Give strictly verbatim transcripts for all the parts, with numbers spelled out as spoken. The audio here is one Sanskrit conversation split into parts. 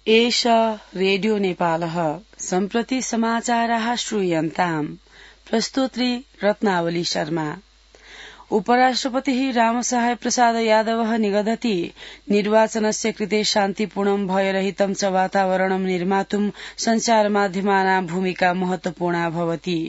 एष रेडियो नेपालः सम्प्रति समाचाराः श्रूयन्ताम्। प्रस्तोत्री रत्नावली शर्मा। उपराष्ट्रपतिः रामसहाय प्रसाद यादवः निगदति निर्वाचनस्य कृते शान्तिपूर्णं भयरहितं च वातावरणं निर्मातुं सञ्चारमाध्यमानां भूमिका महत्वपूर्णा भवति।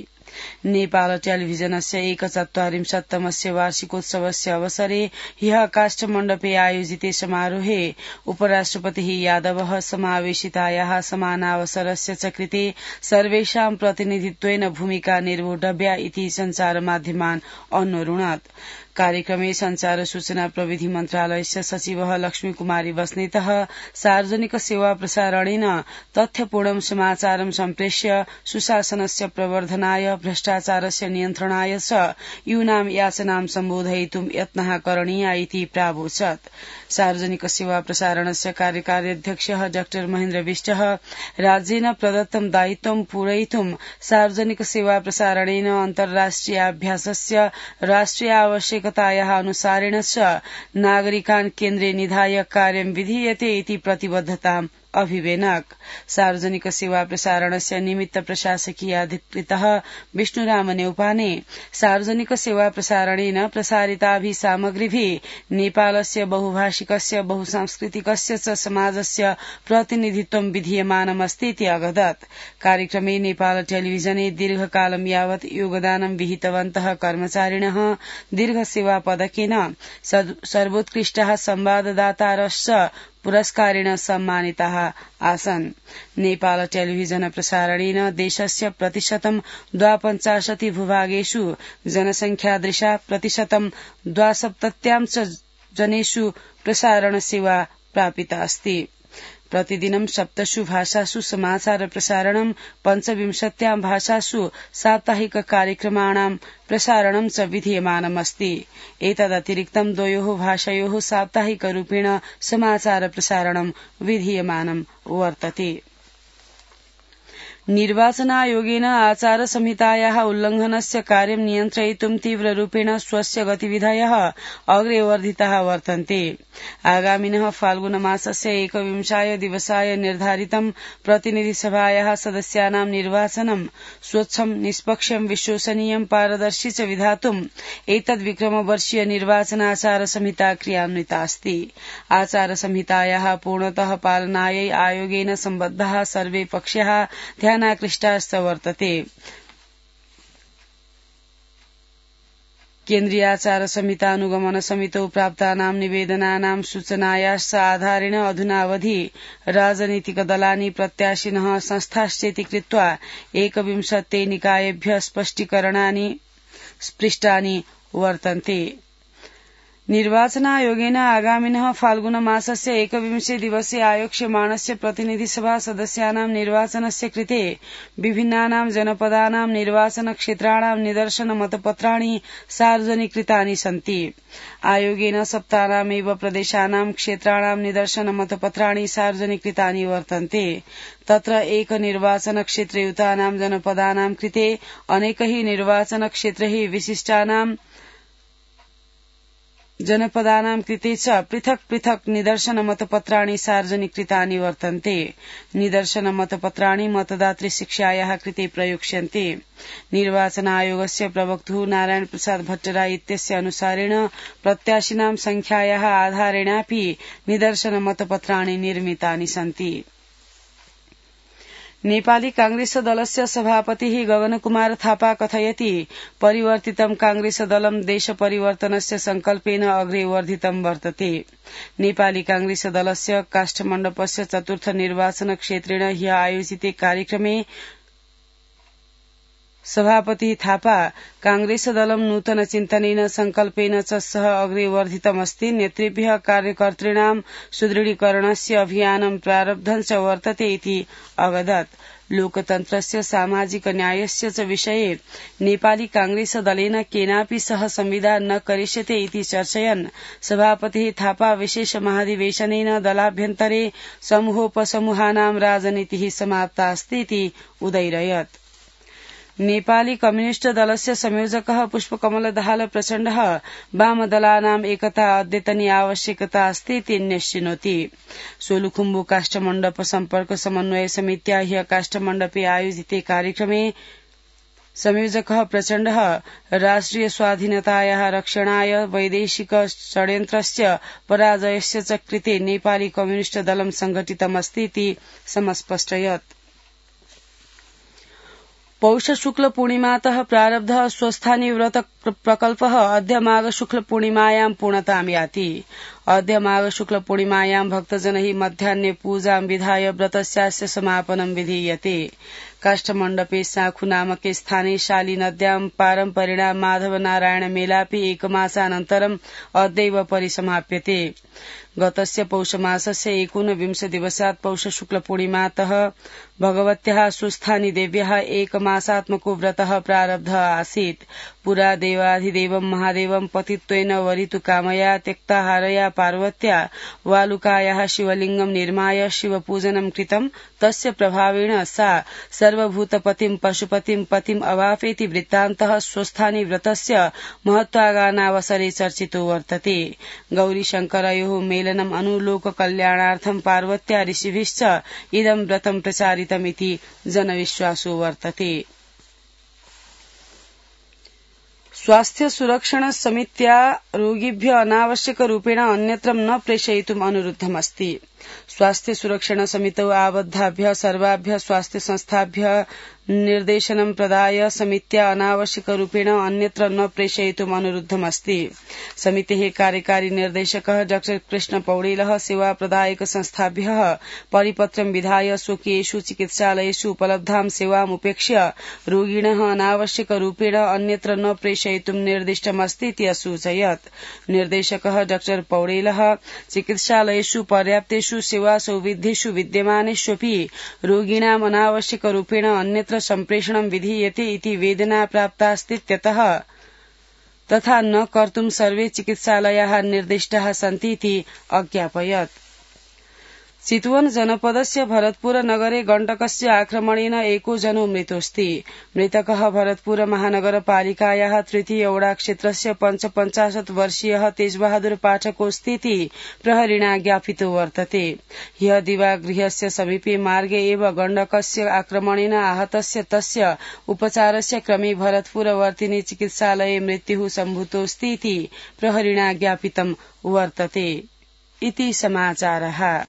नेपाल टेलिभिजनस्य एकचत्वारिंशत्तमस्य वार्षिकोत्सवस्य अवसरे ह्यः काष्ठमण्डपे आयोजिते समारोहे उपराष्ट्रपतिः यादवः समावेशितायाः समानावसरस्य च कृते सर्वेषां प्रतिनिधित्वेन भूमिका निर्वोढव्या इति सञ्चारमाध्यमान् अन्वरुणत्। कार्यक्रमे संचार सूचना प्रविधि मन्त्रालयस्य सचिवः लक्ष्मीकुमारी बस्नेतः सार्वजनिक सेवा प्रसारणेन तथ्यपूर्णं समाचारं सम्प्रेष्य सुशासनस्य प्रवर्धनाय भ्रष्टाचारस्य नियन्त्रणाय च यूनां याचनां सम्बोधयितुं यत्नः करणीया इति प्रावोचत्। सार्वजनिक सेवा प्रसारणस्य कार्यकारी अध्यक्षः डाक्टर महेन्द्र विष्टः राज्येन प्रदत्तं दायित्वं पूरयितुं सार्वजनिक सेवा प्रसारणेन अन्तर्राष्ट्रियाभ्यासस्य राष्ट्रिय आवश्यकतायाः अनुसारेण च नागरिकान् केन्द्रे निधाय कार्यं विधीयते इति प्रतिबद्धताम् अभिवेनक। सार्वजनिक सेवा प्रसारणस्य निमित्त प्रशासकीय अधिकृतः विष्णुराम नेउपाने सार्वजनिक सेवा प्रसारणेन प्रसारिताभिः सामग्रीभिः नेपालस्य बहुभाषिकस्य बहुसांस्कृतिकस्य च समाजस्य प्रतिनिधित्वं विधीयमानमस्ति इति अवदत्। कार्यक्रमे नेपाल टेलिभिजने दीर्घकालं यावत् योगदानं विहितवन्तः कर्मचारिणः दीर्घ सेवा पदकेन सर्वोत्कृष्टः संवाददातारश्च पुरस्कारेण सम्मानिताः आसन्। नेपाल टेलिभिजन प्रसारणेन देशस्य प्रतिशतं द्वापञ्चाशति भूभागेषु जनसंख्यादृशा प्रतिशतं द्वासप्तत्यां च जनेषु प्रसारण सेवा प्रापिता अस्ति। प्रतिदिनं सप्तसु भाषासु समाचार प्रसारणं पञ्चविंशत्यां भाषासु साप्ताहिक कार्यक्रमाणां प्रसारणं च विधीयमानमस्ति। एतदतिरिक्तं द्वयोः भाषयोः साप्ताहिकरूपेण समाचार प्रसारणं विधीयमानं वर्तते। निर्वाचनायोगेन आचार संहितायाः उल्लंघनस्य कार्यं नियन्त्रयितुं तीव्ररूपेण स्वस्य गतिविधयः अग्रे वर्धिताः वर्तन्ते। आगामिनः फाल्गुनमासस्य एकविंशाय दिवसाय निर्धारितं प्रतिनिधिसभायाः सदस्यानां निर्वाचनं स्वच्छं निष्पक्षं विश्वसनीयं पारदर्शी च विधातुम् एतद्विक्रमवर्षीय निर्वाचनाचार संहिता क्रियान्विता अस्ति। आचार संहितायाः पूर्णतः पालनायै आयोगेन सम्बद्धाः सर्वे पक्षाः ध्यानाकृष्टाश्च वर्तते। केन्द्रीयाचार संहितानुगमन समितौ प्राप्तानां निवेदनानां सूचनायाश्च आधारेण अधुनावधि राजनीतिकदलानि प्रत्याशिनः संस्थाश्चेति कृत्वा एकविंशते निकायेभ्यः स्पष्टीकरणानि पृष्टानि वर्तन्ते। निर्वाचनायोगेन आगामिनः फाल्गुन मासस्य एकविंशे दिवसे आयोक्ष्यमाणस्य प्रतिनिधिसभा सदस्यानां निर्वाचनस्य कृते विभिन्नानां जनपदानां निर्वाचन क्षेत्राणां निदर्शन मतपत्राणि सार्वजनिकृतानि सन्ति। आयोगेन सप्तानामेव प्रदेशानां क्षेत्राणां निदर्शन मतपत्राणि सार्वजनिकृतानि वर्तन्ते। तत्र एक निर्वाचन क्षेत्रयुतानां जनपदानां कृते अनेकैः निर्वाचन क्षेत्रैः विशिष्टानां जनपदानां कृते च पृथक् पृथक् निदर्शन मतपत्राणि सार्वजनिकृतानि वर्तन्ते। निदर्शन मतपत्राणि मतदातृ शिक्षायाः कृते प्रयोक्ष्यन्ते। निर्वाचन आयोगस्य प्रवक्तुः नारायण प्रसाद भट्टराय इत्यस्य अनुसारेण प्रत्याशिनां संख्यायाः आधारेणापि निदर्शन मतपत्राणि निर्मितानि सन्ति। नेपाली कांग्रेस दलस्य सभापतिः गगनकुमार थापा कथयति परिवर्तितं कांग्रेस दलं देश परिवर्तनस्य संकल्पेन अग्रे वर्धितं वर्तते। नेपाली कांग्रेस दलस्य काष्ठमण्डपस्य चतुर्थ निर्वाचन क्षेत्रेण ह्यः आयोजिते कार्यक्रमे सभापति थापा कांग्रेस दलं नूतन चिन्तनेन संकल्पेन च सह अग्रे वर्धितमस्ति। नेतृभ्यः कार्यकर्तॄणां सुदृढीकरणस्य अभियानं प्रारब्धं च वर्तते इति अवदत्। लोकतन्त्रस्य सामाजिक न्यायस्य च विषये नेपाली कांग्रेस दलेन केनापि सह संविधान न करिष्यते इति चर्चयन् सभापतिः थापा विशेष महाधिवेशनेन दलाभ्यन्तरे समूहोपसमूहानां राजनीतिः समाप्ता अस्ति इति उदैरयत्। नेपाली कम्युनिष्ट दलस्य संयोजकः पुष्पकमल दाहाल प्रचण्डः वामदलानाम् एकता अद्यतनी आवश्यकता अस्ति इति न्यश्चिनोति। सोलुखुम्बु काष्ठमण्डप सम्पर्क समन्वय समित्या ह्यः काष्ठमण्डपे आयोजिते कार्यक्रमे संयोजकः प्रचण्डः राष्ट्रिय स्वाधीनतायाः रक्षणाय वैदेशिक षड्यन्त्रस्य पराजयस्य च कृते नेपाली कम्युनिष्ट दलं संघटितमस्ति इति समस्पष्टयत्। पौष शुक्ल पूर्णिमातः प्रारब्धः स्वस्थानी व्रत प्रकल्पः अद्य माघ शुक्ल पूर्णिमायां पूर्णतां याति। अद्य माघ शुक्ल पूर्णिमायां भक्तजनैः मध्याह्ने पूजां विधाय व्रतस्यास्य समापनं विधीयते। काष्ठमण्डपे साखु नामके स्थाने शाली नद्यां पारम्परिणा माधव नारायण मेलापि एकमासानन्तरम् अद्यैव परिसमाप्यते। गतस्य पौषमासस्य एकोनविंश दिवसात् पौष शुक्ल पूर्णिमातः भगवत्याः स्वस्थानी देव्याः एकमासात्मको व्रतः प्रारब्धः आसीत्। पुरा देवाधिदेवं महादेवं पतित्वेन वरितु कामया त्यक्ताहारया पार्वत्या वालुकायाः शिवलिङ्गं निर्माय शिवपूजनं कृतं। तस्य प्रभावेण सा सर्वभूतपतिं पशुपतिं पतिम् अवापेति वृत्तान्तः स्वस्थानी व्रतस्य महत्वागानावसरे चर्चितो वर्तते। गौरीशङ्करयोः मेलनम् अनुलोक कल्याणार्थं पार्वत्या ऋषिभिश्च इदं व्रतं प्रचारितमिति जनविश्वासो वर्तते। स्वास्थ्य सुरक्षण समित्या रोगिभ्य अनावश्यक रूपेण अन्यत्र न प्रेषयितुम् अनुरुद्धमस्ति। स्वास्थ्य सुरक्षण समितौ आबद्धाभ्य सर्वाभ्य स्वास्थ्य संस्थाभ्य निर्देशनं प्रदाय समित्या अनावश्यक रूपेण अन्यत्र न प्रेषयितुम् अनुरुद्धमस्ति। समितेः कार्यकारी निर्देशकः डॉ कृष्ण पौडेलः सेवा प्रदायक संस्थाभ्यः परिपत्रं विधाय स्वकीयेषु चिकित्सालयेषु उपलब्धां सेवाम् उपेक्ष्य रोगिणः अनावश्यक रूपेण अन्यत्र न प्रेषयितुम् निर्दिष्टमस्ति इति असूचयत्। निर्देशकः डॉ पौडेलः चिकित्सालयेषु पर्याप्तेषु सेवा सौविध्येषु विद्यमानेष्वपि रोगिणाम् अनावश्यक रूपेण अन्यत्र सम्प्रेषणं विधीयते इति वेदना प्राप्तास्तीत्यतः तथा न कर्तुं सर्वे चिकित्सालयाः निर्दिष्टाः सन्ति इति अज्ञापयत्। चितवन जनपदस्य भरतपुर नगरे गण्डकस्य आक्रमणेन एको जनो मृतोऽस्ति। मृतकः भरतपुर महानगरपालिकायाः तृतीय वडा क्षेत्रस्य पञ्चपञ्चाशत् वर्षीयः तेजबहादुर पाठकोऽस्ति इति प्रहरिणा ज्ञापितो वर्तते। ह्यः दिवागृहस्य समीपे मार्गे एव गण्डकस्य आक्रमणेन आहतस्य तस्य उपचारस्य क्रमे भरतपुरवर्तिनि चिकित्सालये मृत्युः सम्भूतोऽस्ति इति प्रहरिणा ज्ञापितं वर्तते। इति समाचारः।